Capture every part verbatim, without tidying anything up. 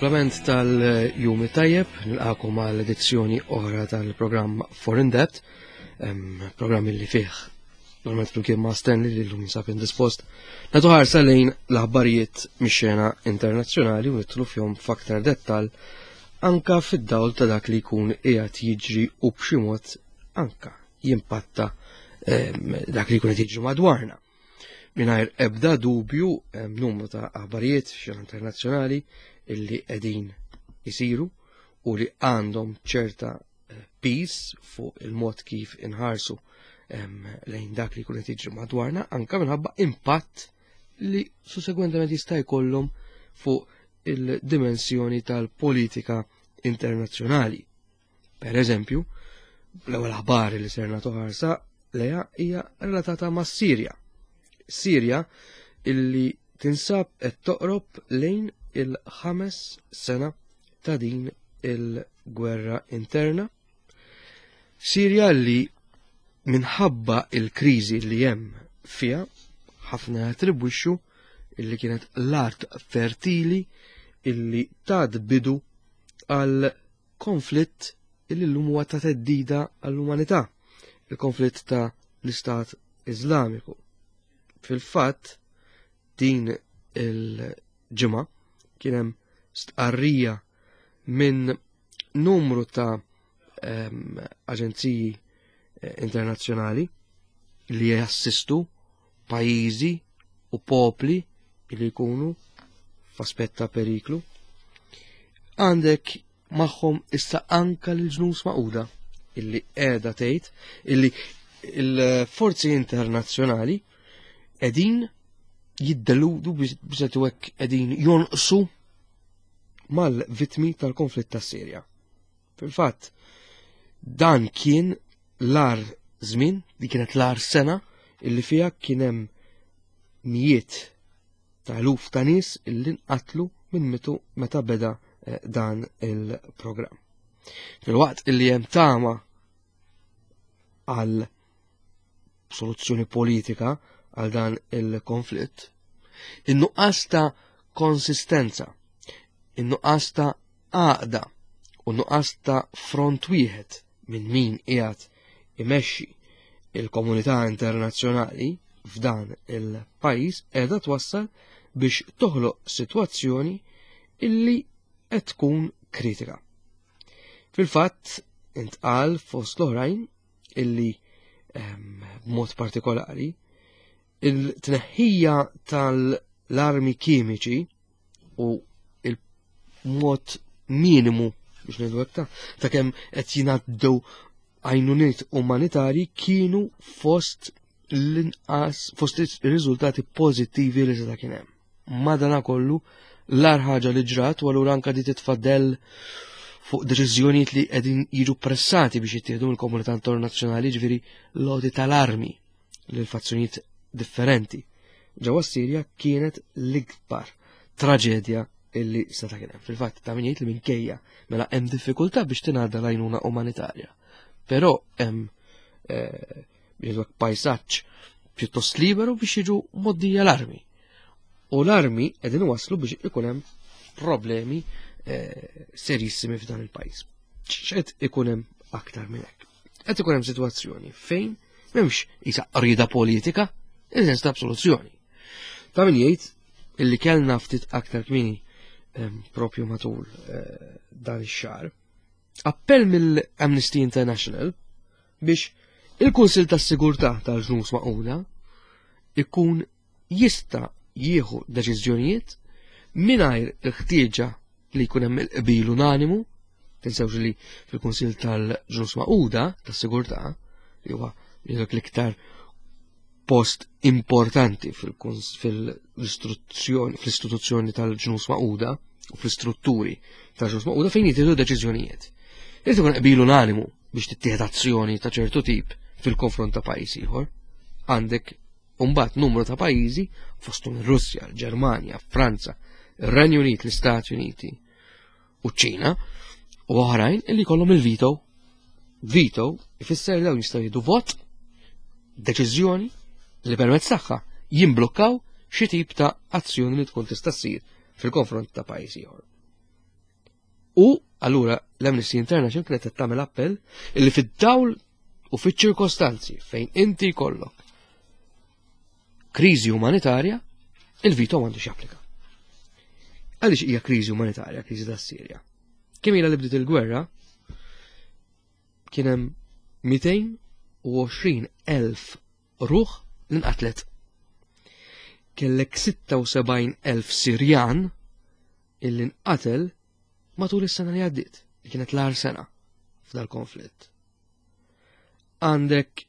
Il-kumplament tal-jum tajjeb, nilqakom għal edizzjoni oħra tal-programm Foreign Debt, programm li fih normalment flimkien ma' Stanley li llum jinsab indispost. Nagħtu ħarsa lejn l-aħbarijiet mix-xena internazzjonali u nidħlu fihom f'aktar dettal anka fid-dawl ta' dak li jkun qiegħed jiġri u b'xi mod anka jimpatta dak li jkun qed jiġri madwarna. Mingħajr ebda dubju hemm numru ta' aħbarijiet f'xena internazzjonali illi qegħdin isiru u li għandhom ċerta eh, piż fuq il-mod kif inħarsu lejn dak li jkun qed jiġri madwarna anka minħabba impatt li sussegwentement jista' jkollhom fuq il-dimensjoni tal-politika internazzjonali. Per eżempju, l-ewwel aħbar li ser nagħtu ħarsa lejha hija relatata ma' Sirja. Sirja illi tinsab qed toqrob lejn il-ħames sena ta' din il-gwerra interna. Sirja li minħabba il-kriżi li hemm fiha ħafna jattribwixxu illi kienet l-art fertili illi tad bidu għal konflitt illi llum huwa ta' theddida għall-umanità, il-konflitt ta' l-Istat Iżlamiku. Fil-fatt, din il-ġimgħa kien hemm stqarrija minn numru ta' aġenziji eh, internazzjonali li jassistu pajjiżi u popli li jkunu f'aspett ta' periklu. Għandek magħhom issa anka l-Ġnus Magħquda illi qiegħda tgħid illi il-forzi internazzjonali qegħdin jiddeludu biex hekk qegħdin jonqsu mal-vitmi tal-konflitt ta' Sirja. Fil-fatt, dan kien l-agħar żmien, di kienet l-agħar sena illi fiha kien hemm mijiet ta' eluf ta' nies illi nqatlu minn mitu meta beda eh, dan il-programm. Fil-waqt illi hemm tama għal soluzzjoni politika għal dan il-konflitt, in-nuqqas ta' konsistenza, in-nuqqas ta' għaqda u nuqqas ta' front wieħed minn min qiegħed imexxi il-komunità internazzjonali f'dan il-pajjiż qiegħda twassal biex toħloq sitwazzjoni illi qed tkun kritika. Fil-fatt intqal fost l-oħrajn illi ehm, b'mod partikolari il-tneħħija tal-armi kimiċi u il-mod minimu biex ngħidu hekk ta' ta' kemm qed jingħaddew għajnuniet umanitarji kienu fost l-inqas fost ir-riżultati pożittivi li seta' kien hemm. Madanakollu l-agħar ħaġa li ġrat u allura anka di titfaddel fuq deċiżjonijiet li qegħdin jiġu pressati biex jittieħdu mill-komunità internazzjonali, ġifieri l-għoti tal-armi lil fazzjonijiet differenti. Ġewwa Sirja kienet l-ikbar traġedja illi seta' kien hemm. Fil-fatt ta' min jgħid li minkejja mela hemm diffikultà biex tingħadda l-għajnuna umanitarja. Però hemm eh, biex pajsaġġ pjuttost liberu biex jiġu mgħoddija l-armi. U l-armi qegħdin waslu biex ikun hemm problemi eh, serissimi f'dan il-pajjiż. X'qed ikun hemm aktar minn hekk? Qed ikun hemm sitwazzjoni fejn m'hemmx isa rida politika, il-sens ta' soluzzjoni. Ta' min jgħid illi kellna ftit aktar kmieni propju matul eh, dan ix-xahar, appell mill-Amnesty International biex il-Kunsil tas-Sigurtà tal-Ġnus Magħquda ikun jista' jieħu deċiżjonijiet mingħajr il-ħtieġa li jkun hemm il-qbil unanimu. Tinsewx li fil-Kunsil tal-Ġnus Magħquda tas-Sigurtà, li huwa l-iktar post importanti fil-istruzzjoni fl-istituzzjoni tal-Ġnus Magħquda u fl-istrutturi tal-Ġnus Magħquda fejn jittieħdu deċiżjonijiet. Irid ikun qbil unanimu biex tittieħed azzjoni ta' ċertu tip fil-konfront ta' pajjiż ieħor. Għandek mbagħad numru ta' pajjiżi fosthom ir-Russja, l-Ġermanja, Franza, ir-Renju Unit, l-Istati Uniti u ċ-Ċina u oħrajn illi jkollhom il-veto. Veto ifisser li dawn jistgħu jieħdu vot, deċiżjoni li permezz tagħha jimblokkaw xi tip ta' azzjoni li tkun tista' ssir fil-konfront ta' pajjiż ieħor. U allura l-Amnesty International kienet qed tagħmel appell illi fid-dawl u fiċ-ċirkostanzi fejn inti jkollok kriżi umanitarja, il-veto m'għandux japplika. Għaliex hija kriżi umanitarja, kriżi tas-Sirja? Kemm ilha li bdiet il-gwerra, kien hemm mitejn u għoxrin elf ruħ li nqatlet. Kellek sitta u sebgħin elf Sirjan illi nqatel matul is-sena li għaddiet, li kienet l-agħar sena f'dal-konflitt. Għandek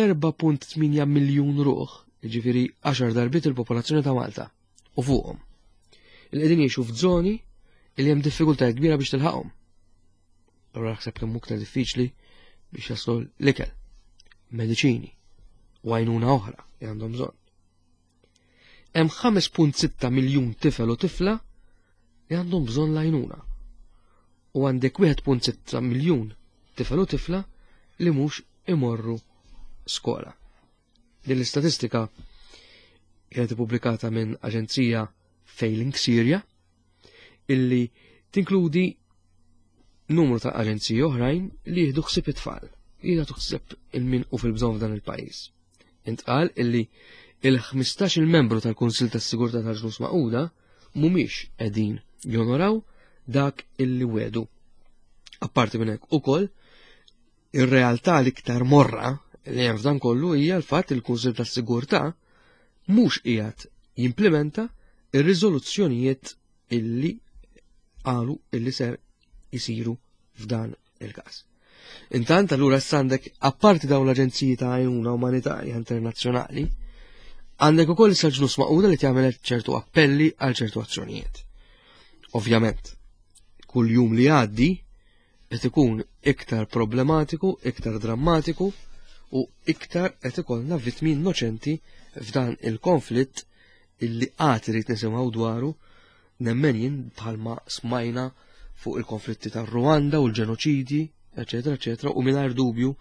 erbgħa punt tmienja miljun ruħ, jiġifieri għaxar darbiet il-popolazzjoni ta' Malta, u fuqhom, il qegħdin jgħixu f'żoni li hemm diffikultajiet kbira biex tilħaqhom. Allura naħseb kemm iktar diffiċli biex jaslu l-ikel, mediċini u għajnuna oħra li għandhom bżonn. Hemm ħames punt sitta miljun tifel u tifla li għandhom bżonn l-għajnuna. U għandek wieħed punt sitta miljun tifel u tifla li mhux imorru skola. Din l-istatistika kienet ippubblikata minn aġenzija Failing Syria illi tinkludi numru ta' aġenziji oħrajn li jieħdu ħsieb it-tfal, jieħdu ħsieb il-min hu fil-bżonn f'dan il-pajjiż. Intqal illi il-ħmistax il-membru tal-Kunsil tas-Sigurtà tal-Ġnus Magħquda mhumiex qegħdin jonoraw dak illi wedu. Apparti minn hekk ukoll, ir-realtà l-iktar morra li hemm f'dan kollu hija l-fatt il kunsil tas-Sigurtà mhux qiegħed jimplementa ir-riżoluzzjonijiet illi qalu illi ser jisiru f'dan il-każ. Intant allura għandek, apparti dawn l-aġenziji ta' għajnuna umanitarja internazzjonali, għandek ukoll issa Ġnus Magħquda li tagħmel ċertu appelli għal ċertu azzjonijiet. Ovvjament, kull jum li għaddi qed ikun iktar problematiku, iktar drammatiku u iktar qed ikollna vittmi innoċenti f'dan il-konflitt illi għad irid nisimgħu dwaru, nemmen jien, bħalma smajna fuq il-konflitti tar Rwanda u l-ġenoċidji, eċetera, eċetera, u mingħajr dubju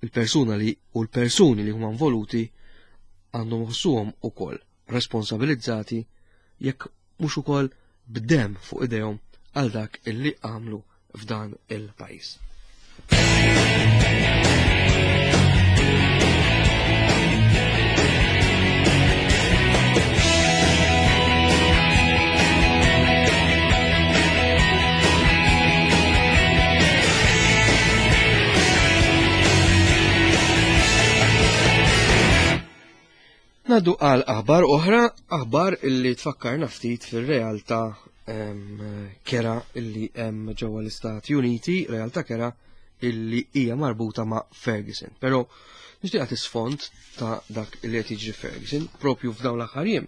il-persuna li u l-persuni li huma involuti għandhom iħossuhom ukoll responsabilizzati, jekk mhux ukoll b'dem fuq idejhom, għal dak illi għamlu f'dan il-pajjiż. Ngħaddu għal aħbar oħra, aħbar illi tfakkarna ftit fil-realtà kerha illi hemm ġewwa l-Istati Uniti, realtà kerha illi hija marbuta ma' Ferguson. Però nixtieq nagħti sfond ta' dak illi qed jiġri Ferguson propju f'dawn l-aħħar jiem.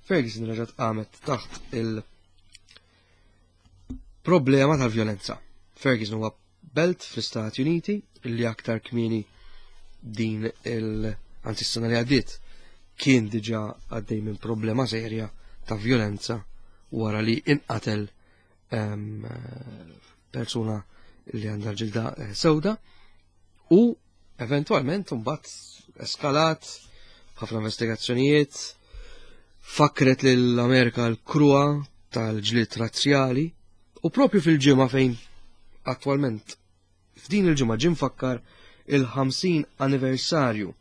Ferguson reġgħet qamet taħt il-problema tal-vjolenza. Ferguson huwa belt fl-Istati Uniti illi aktar kmieni din il- anzi s-sena li għaddiet kien diġa għaddej minn problema serja ta' violenza wara li inqatel persuna li għandha ġilda eh, sewda u eventualment mbagħad eskalat ħafna investigazzjonijiet, fakret lill-Amerika l-kruha tal-ġlied razzjali. U propju fil-ġimgħa fejn attwalment, f'din il-ġimgħa, ġie mfakkar il-ħamsin anniversarju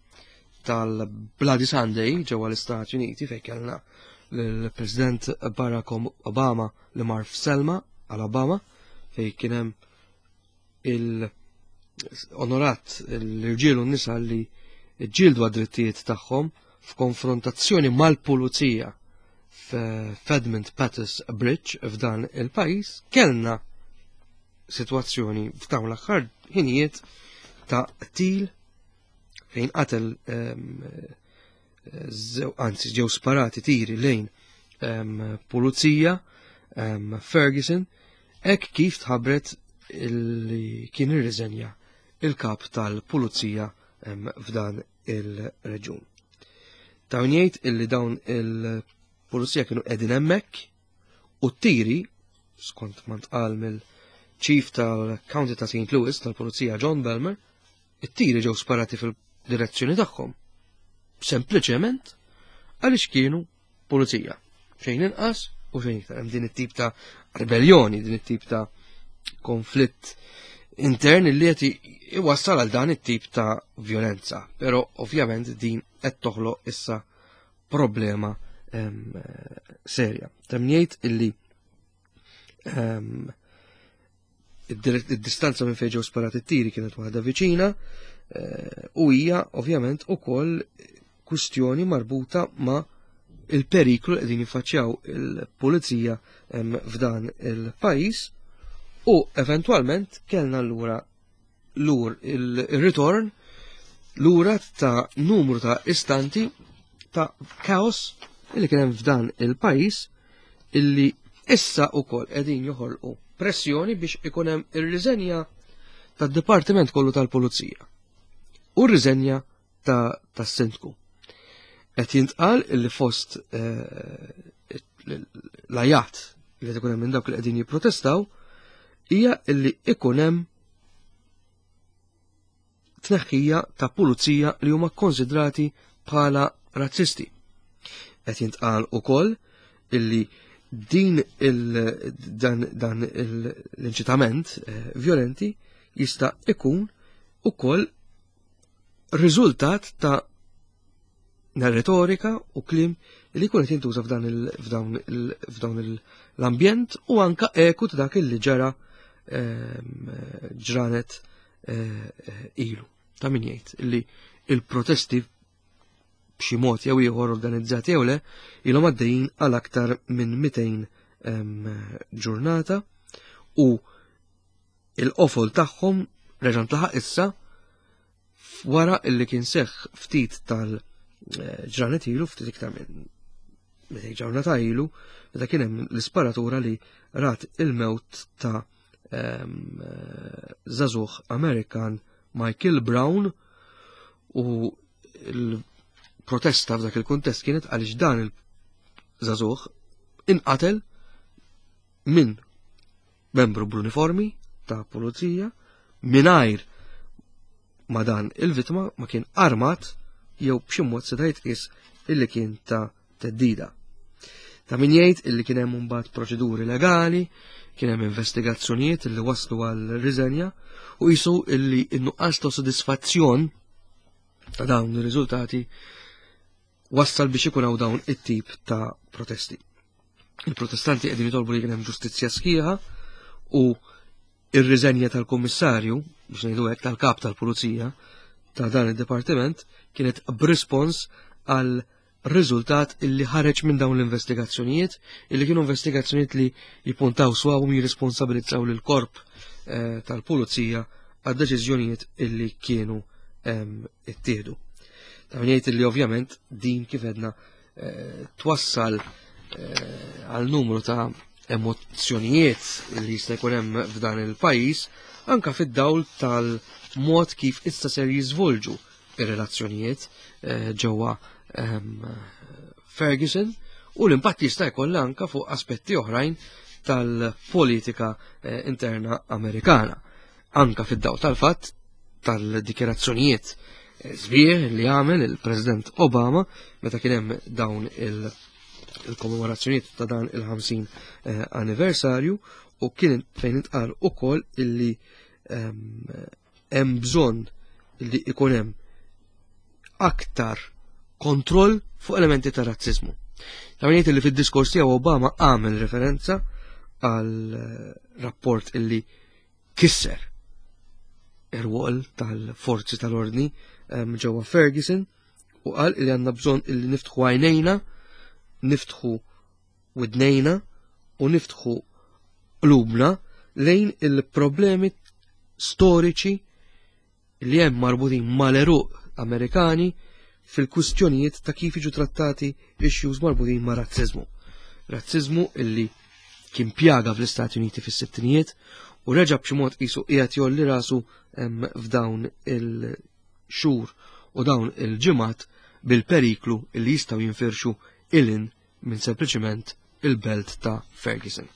tal-Bloody Sunday ġewwa l-Istati Uniti, fejn kellna l-President Barack Obama li mar f'Selma, Alabama, fejn kien hemm il-onorat l-irġiel u n-nisa li ġġieldu għad-drittijiet tagħhom f'konfrontazzjoni mal-pulizija f'Edmund Pettus Bridge f'dan il-pajjiż, kellna situazzjoni f'dawn l-aħħar ħinijiet ta' qtil fejn qatel, anzi ġew sparati tiri lejn pulizija Ferguson hekk kif tħabbret li kien irriżenja il-kap tal-pulizija f'dan il-reġun. Ta' jgħid illi dawn il-pulizija kienu qegħdin hemmhekk u t-tiri, skont ma ntqal mill-chief tal-County ta' Saint Louis tal-Pulizija John Belmer, it-tiri ġew sparati fil-direzzjoni tagħhom. Sempliċement għaliex kienu pulizija. Xejn inqas u xejn iktar. Hemm din it-tip ta' ribellioni, din it-tip ta' Konflitt intern li qed iwassal għal dan it-tip ta' violenza, però ovvjament din qed toħloq issa problema em, serja. Temm jgħid illi em, id-distanza minn fejn ġew sparati t-tiri kienet waħda viċina eh, u hija ovvjament ukoll kwistjoni marbuta ma' il-periklu li qegħdin jiffaċċjaw il-pulizija f'dan il-pajjiż u eventwalment kellna lura lur il-ritorn lura ta' numru ta' istanti ta' kaos illi kien hemm f'dan il-pajjiż illi issa ukoll qegħdin joħolqu pressjoni biex ikun hemm ir-riżenja tad-Dipartiment kollu tal-Pulizija u r-riżenja ta' tas-sindku. Qed jintqal illi fost eh, l-ajat li qed ikun hemm minn dawk li qegħdin jipprotestaw hija illi ikun hemm tneħħija ta' pulizija li huma konsidrati bħala razzisti. Qed jintqal ukoll illi din il dan, dan l-inċitament eh, violenti jista' ikun ukoll riżultat ta' retorika u kliem li jkun qed jintuża f'dan f'dawn l-ambjent u anka eku ta' dak li ġara ehm, ġranet eh, ilu. Ta' min jgħid li il-protesti b'xi mod jew ieħor organizzati jew le ilhom għaddejjin għal aktar minn mitejn ehm, ġurnata u il-qofol tagħhom reġa' ntlaħaq issa wara illi kien seħħ ftit tal-ġranet ilu, ftit iktar minn mitejn ġurnata ilu, meta kien hemm l-isparatura li rat il-mewt ta' ehm, żagħżugħ Amerikan Michael Brown u l-protesta f'dak il-kuntest kienet għaliex dan il-żagħżugħ inqatel minn membru bl-uniformi ta' pulizija mingħajr ma dan il-vittma ma kien armat jew b'xi mod seta' jitqies illi kien ta' teddida. Ta' min jgħid illi kien hemm imbagħad proċeduri legali, kien hemm investigazzjonijiet illi waslu għal riżenja u qisu illi n-nuqqas ta' sodisfazzjon ta' dawn ir-riżultati wassal biex ikun hawn dawn it-tip ta' protesti. Il-protestanti qegħdin jitolbu li kien hemm ġustizzja sħiħa u ir-riżenja tal-kummissarju, biex ngħidu hekk, tal-kap tal-pulizija ta' dan id-dipartiment kienet b'rispons għal riżultat illi ħareġ minn dawn l-investigazzjonijiet, illi kienu investigazzjonijiet li jippuntaw swaw jirresponsabilizzaw lil korp eh, tal-pulizija għad deċiżjonijiet illi kienu ehm, ittieħdu. Ta' min jgħid illi ovvjament din kif edna eh, twassal eh, għal numru ta' emozzjonijiet li jista' jkun hemm f'dan il-pajjiż anka fid-dawl tal-mod kif issa ser jiżvolġu ir-relazzjonijiet eh, ġewwa ehm, Ferguson u l-impatt jista' jkollha anka fuq aspetti oħrajn tal-politika eh, interna Amerikana. Anka fid-dawl tal-fatt tal-dikjerazzjonijiet eh, sbieħ li għamel il-President Obama meta kien hemm dawn il- il-kommemorazzjonijiet ta' dan il-ħamsin eh, anniversarju u kien fejn intqal ukoll illi ehm, hemm bżonn illi ikun hemm aktar kontroll fuq elementi ta' razzizmu. Ta' min jgħid illi fid-diskors tiegħu Obama għamel referenza għal eh, rapport illi kisser ir-rwol tal-forzi tal-ordni ehm, ġewwa Ferguson u qal illi għandna bżonn illi niftħu għajnejna, niftħu widnejna u niftħu qlubna lejn il-problemi storiċi li hemm marbutin mal-eruq Amerikani fil-kwistjonijiet ta' kif jiġu trattati issues marbutin ma' razzizmu. Razzizmu illi kien pjaga fl-Istati Uniti fis-sittinijiet u reġa' b'xi mod qisu qiegħed jolli rasu f'dawn il-xhur u dawn il-ġimgħat bil-periklu illi jistgħu jinfirxu ilin minn sempliċiment il-belt ta' Ferguson.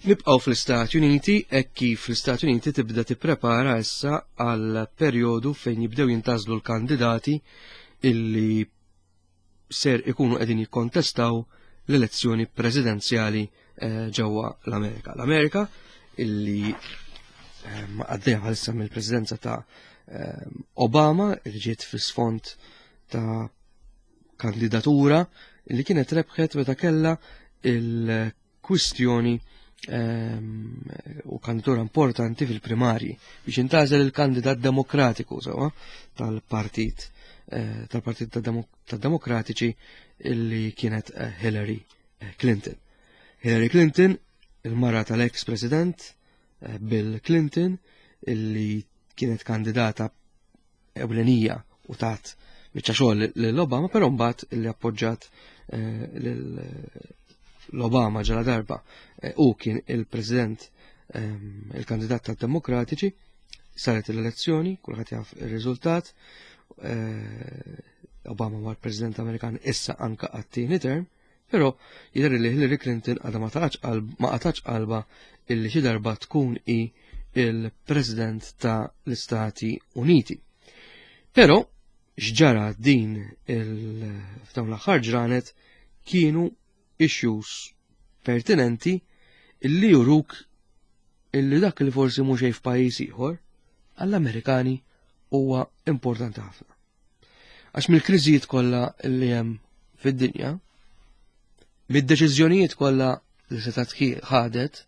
Nibqgħu fl-Istati Uniti hekk kif l-Istati Uniti tibda tipprepara issa għal perjodu fejn jibdew jintgħażlu l-kandidati illi ser ikunu qegħdin jikkontestaw l-elezzjoni presidenzjali eh, ġewwa l-Amerika. L-Amerika illi eh, għaddejja bħalissa mill-presidenza ta' eh, Obama, illi ġiet fis-sfond ta' kandidatura illi kienet rebħet meta kellha il-kwistjoni ehm, u kandidatura importanti fil-primarji biex intgħażel il-kandidat demokratiku sewwa tal-partit eh, tal-Partit tad-Demokratiċi illi kienet eh, Hillary eh, Clinton. Hillary Clinton, il-mara tal-ex president Bill Clinton, illi kienet kandidata ewlenija u tat biċċa xogħol lil Obama, però mbagħad illi appoġġat l-Obama ġala darba u kien il-president, ehm, il-kandidat tad-Demokratiċi, saret l-elezzjoni, kulħadd jaf ir-riżultat. eh, Obama huwa l-President Amerikan issa anka għat-tieni term, però jidher li Hillary Clinton għadha ma ma qatax qalba illi xi darba tkun i il-President ta' l-Istati Uniti. Però x'ġara din il-f'dawn l-aħħar ġranet kienu issues pertinenti illi juruk illi dak li forsi mhux f'pajjiż ieħor għall-Amerikani huwa importanti ħafna. Għax mill-kriżijiet kollha li hemm fid-dinja, mid-deċiżjonijiet kollha li setgħet ħadet,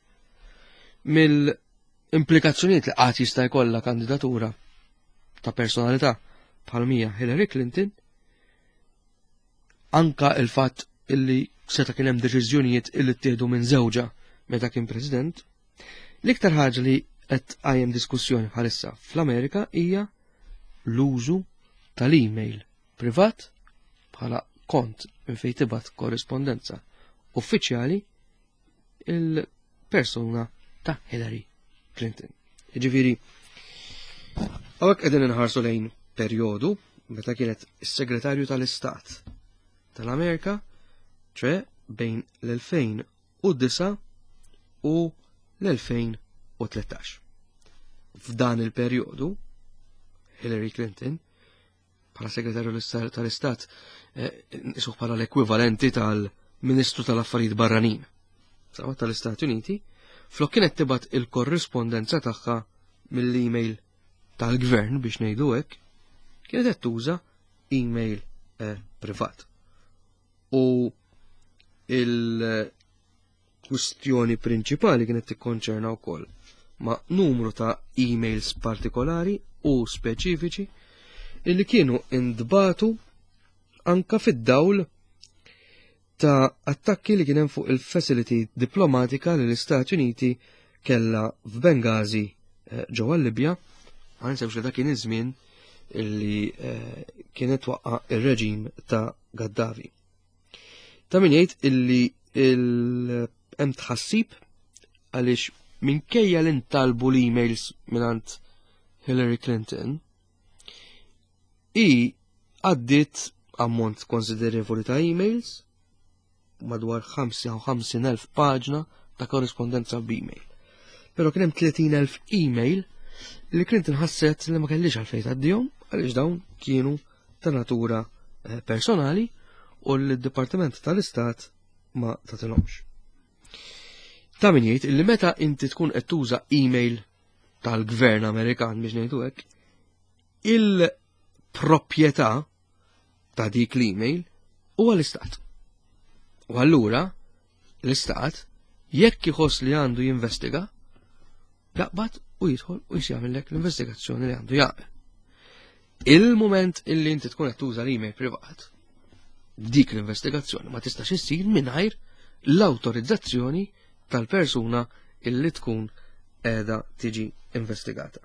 mill-implikazzjonijiet li qatt jista' jkollha kandidatura ta' personalità bħal mija Hillary Clinton, anka il-fatt illi seta' kien hemm deċiżjonijiet illi ttieħdu minn żewġha meta kien president, l-iktar ħaġa li qed tqajjem diskussjoni bħalissa fl-Amerika hija l-użu tal-email privat bħala kont minn fejn tibgħat korrispondenza uffiċjali il-persuna ta' Hillary Clinton. Jiġifieri, hawnhekk qegħdin inħarsu lejn perjodu meta kienet is-Segretarju tal-Istat tal-Amerika, ċe bejn l-elfejn u disgħa u l-elfejn u tlettax. F'dan il-perjodu, Hillary Clinton, bħala segretarju tal-Istat, nisuh bħala l-ekwivalenti tal-Ministru tal-Affarijiet Barranin sewwa tal-Istati Uniti, flok kienet tibgħat il-korrispondenza tagħha mill-email tal-gvern, biex ngħidu hekk, kienet qed tuża email eh, privat. U il-kwistjoni prinċipali kienet tikkonċerna wkoll ma' numru ta' emails partikolari u speċifiċi illi kienu intbagħtu anka fid-dawl ta' attakki li kien hemm fuq il-facility diplomatika li l-Istati Uniti kella f'Bengazi eh, ġewwa Libja. Ma ninsewx li dak kien iż-żmien illi eh, kienet waqqa ir-reġim ta' Gaddafi. Ta' min jgħid illi hemm tħassib għaliex minkejja li ntalbu l-emails mingħand Hillary Clinton, i għaddit ammont konsiderevoli ta' emails, madwar ħamsa u ħamsin elf paġna ta' korrispondenza b'email. Pero kien hemm tletin elf email li Clinton ħasset li ma kellix għalfejn tgħaddihom, għaliex dawn kienu ta' natura eh, personali u l-Dipartiment tal-Istat ma tatilhomx. Ta' min jgħid illi meta inti tkun qed tuża email tal-gvern Amerikan, biex ngħidu hekk, il-proprjetà ta' dik l-email huwa l-Istat. U allura l-Istat, jekk iħoss li għandu jinvestiga, jaqbad u jidħol u jagħmellek l-investigazzjoni li għandu jagħmel. Il-moment illi inti tkun qed tuża l-email privat, dik l-investigazzjoni ma tistax issir mingħajr l-awtorizzazzjoni tal-persuna illi tkun qiegħda tiġi investigata.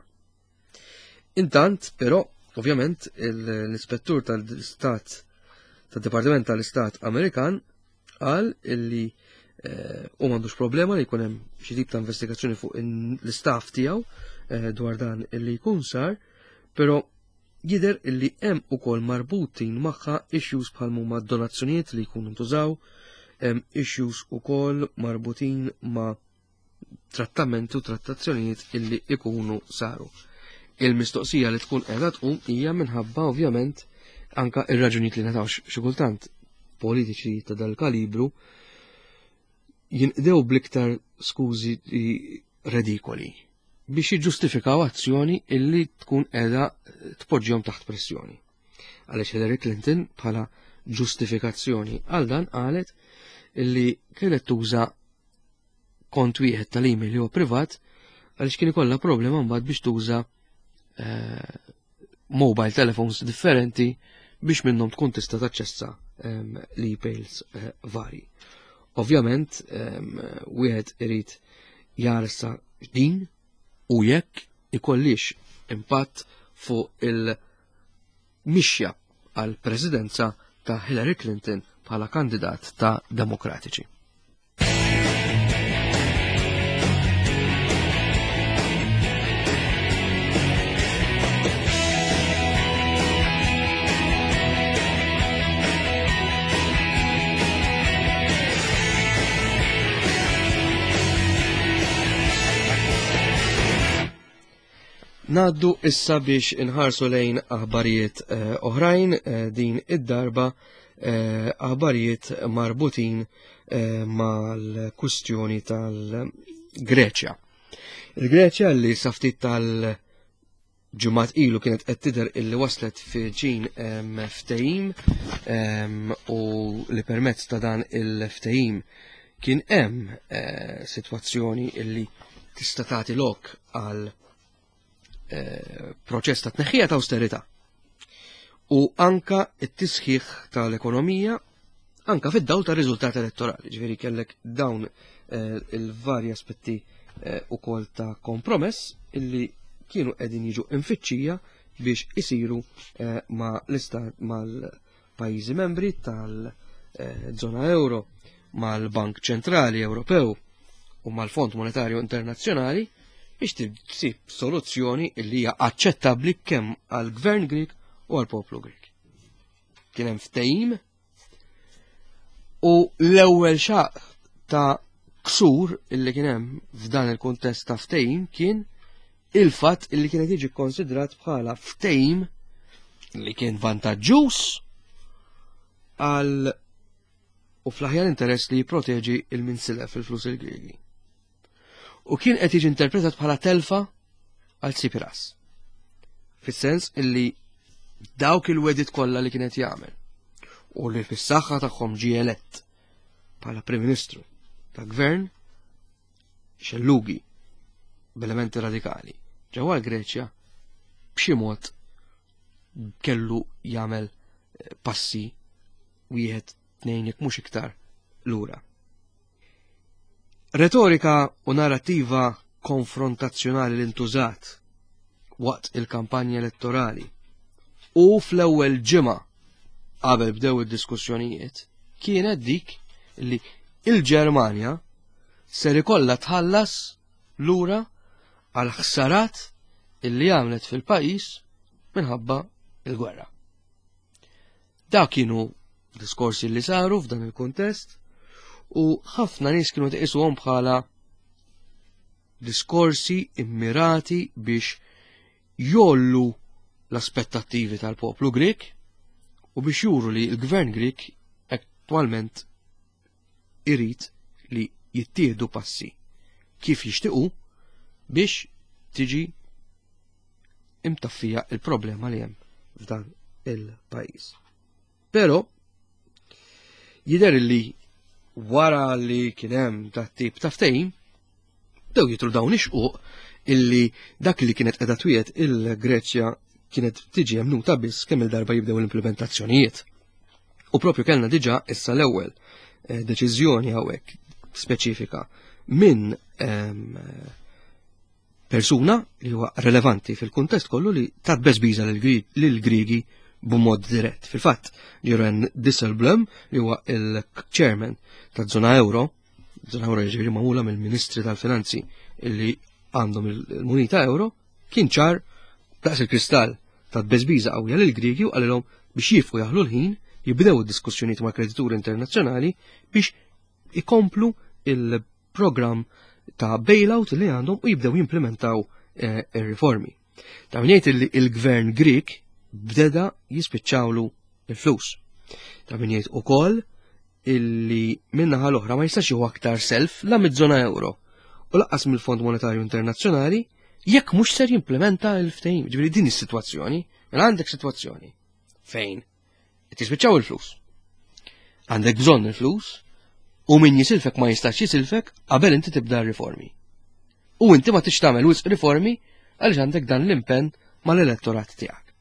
Intant, però, ovvjament, l-ispettur tal-Istat, tad-Dipartiment tal-Istat Amerikan, qal illi eh, u m'għandux problema li jkun hemm xi tip ta' investigazzjoni fuq l-istaff tiegħu eh, dwar dan illi jkun sar, però jidher illi hemm ukoll marbutin magħha issues bħal huma donazzjonijiet li jkunu ntużaw, hemm issues ukoll marbutin ma' trattamenti u trattazzjonijiet illi ikunu saru. Il-mistoqsija li tkun qiegħda tqum hija minħabba ovvjament anka ir-raġunijiet li ngħataw xi kultant politiċi ta' dal-kalibru jinqdew bl-iktar skużi redikoli biex jiġġustifikaw azzjoni illi tkun qiegħda tpoġġihom taħt pressjoni. Għaliex Hillary Clinton bħala ġustifikazzjoni għal dan qalet illi kienet tuża kont wieħed tal-email li huwa privat għaliex kien ikollha problema mbagħad biex tuża eh, mobile telephones differenti biex minnhom tkun tista' taċċessa ehm, l-emails eh, vari. Ovvjament, ehm, wieħed irid jarsa din u jekk ikollix impatt fuq il-mixja għal presidenza ta' Hillary Clinton bħala kandidat ta' Demokratiċi. Naddu issa biex inħarsu lejn aħbarijiet eh, oħrajn eh, din id-darba eh, aħbarijiet marbutin mal-kustjoni tal-Greċja. Il-Greċja li saftit tal-ġimgħat ilu kienet qed tidher illi waslet fi ġin ftehim u li permezz ta' dan il-ftehim kien hemm sitwazzjoni illi tista' tagħti lok għal proċess ta' tneħħija ta' austerità u anka t-tisħiħ tal-ekonomija anka fid-dawl ta' riżultati elettorali, ġifieri kellek dawn eh, il-varji aspetti eh, ukoll ta' kompromess illi kienu qegħdin jiġu infittxija biex isiru eh, ma' l-istat mal-pajjiżi membri tal-żona euro, mal-Bank Ċentrali Ewropew u mal-Fond Monetarju Internazzjonali biex tsib soluzzjoni illi hija aċċettabbli kemm għall-Gvern Grieg u għall-poplu Grieg. Kien hemm ftehim u l-ewwel xaq ta' ksur illi kien hemm f'dan il-kuntest ta' ftehim kien il-fatt illi kienet jiġi konsidrat bħala ftehim li kien vantaġġuż għal u fl-aħjar interess li jipproteġi il-minsile fil-flus il-Griegi. U kien qed jiġi interpretat bħala telfa għal Tsipras. Fis-sens illi dawk il-wedit kollha li kienet jagħmel u li fis-saħħa tagħhom ġie elett bħala Prim Ministru ta' Gvern xellugi b'elementi radikali ġewwa l-Greċja b'xi mod kellu jagħmel passi wieħed tnejn jekk mhux iktar lura. Retorika u narrativa konfrontazzjonali li ntużat waqt il-kampanja elettorali u fl-ewwel ġimgħa qabel bdew id-diskussjonijiet kienet dik li il-Ġermanja ser ikollha tħallas lura għal ħsarat illi għamlet fil-pajjiż minħabba il-gwerra. Dak kienu diskorsi li saru f'dan il-kuntest u ħafna nies kienu tqisuhom bħala diskorsi immirati biex jollu l-aspettattivi tal-poplu Grek u biex juru li l-gvern Grek attwalment irid li jittieħdu passi kif jixtiequ biex tiġi imtaffija il-problema li hemm f'dan il-pajjiż. Però jidher li wara li kien hemm dat tip ta' ftehim, bdew jitru dawn ix-xquq illi dak li kienet qiegħda twiet il-Greċja kienet tiġi emnuta biss kemm il-darba jibdew l-implementazzjonijiet. U propju kellna diġà issa l-ewwel eh, deċiżjoni hawnhekk speċifika minn ehm, persuna li huwa relevanti fil-kuntest kollu li tat beżbiża lill-Griegi b'mod dirett. Fil-fatt, Jeroen Dijsselbloem, li huwa il-chairman ta' zona euro, zona euro jiġifieri magħmula mill-Ministri tal-Finanzi illi għandhom il-munita euro, kien ċar daqs il-kristall ta' beżbiża qawwija lill-Griegi u qalilhom biex jifqu jaħlu l-ħin, jibdew id-diskussjonijiet ma' kredituri internazzjonali biex ikomplu il-programm ta' bailout li għandhom u jibdew jimplementaw eh, ir-riformi. Ta' min jgħid li il-gvern Grek bdeda jispiċċawlu il-flus. Ta' min jgħid ukoll illi min-naħa l-oħra ma jistax jieħu aktar self la mid-żona euro u lanqas mill-Fond Monetarju Internazzjonali jekk mhux ser jimplementa l-ftehim. Ġifieri din is-sitwazzjoni, mela għandek sitwazzjoni fejn qed jispiċċaw il-flus. Għandek bżonn il-flus u min jisilfek ma jistax jisilfek qabel inti tibda riformi. U inti ma tix tagħmel wisq riformi għaliex għandek dan l-impenn mal-elettorat tiegħek.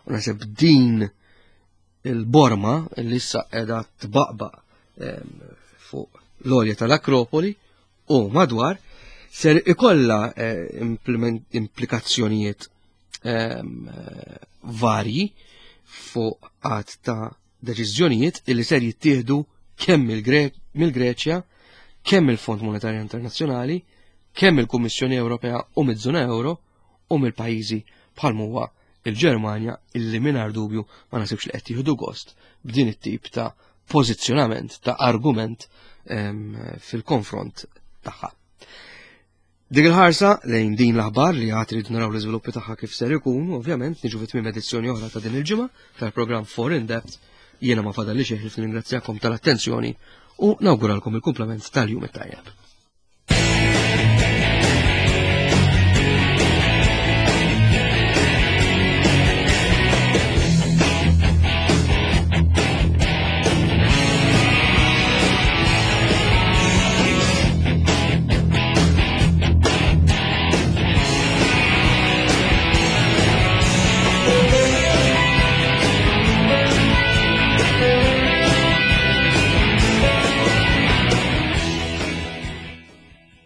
U naħseb din il-borma li issa qiegħda tbaqbaq fuq l-għolja tal-Akropoli u madwar ser ikolla eh, implikazzjonijiet varji fuq għadd ta' deċiżjonijiet illi ser jittieħdu kemm mill-Greċja, kemm il-Fond Monetarju Internazzjonali, kemm il-Kummissjoni Ewropea u miż-żona euro u mill-pajjiżi bħal huwa il-Ġermanja, illi mingħajr dubju ma nasibx li qed jieħdu gost b'din it-tip ta' pożizzjonament ta' argument fil-konfront tagħha. Dik il-ħarsa lejn din l-aħbar li għad rridu naraw l-iżviluppi tagħha kif ser ikun, ovvjament niġu fit tmiem edizzjoni oħra ta' din il-ġimgħa tal-programm For In Depth. Jiena ma fadalli xejn ħlief nirringrazzjakom tal-attenzjoni u nawguralkom il-kumplament tal-jum it-tajjeb.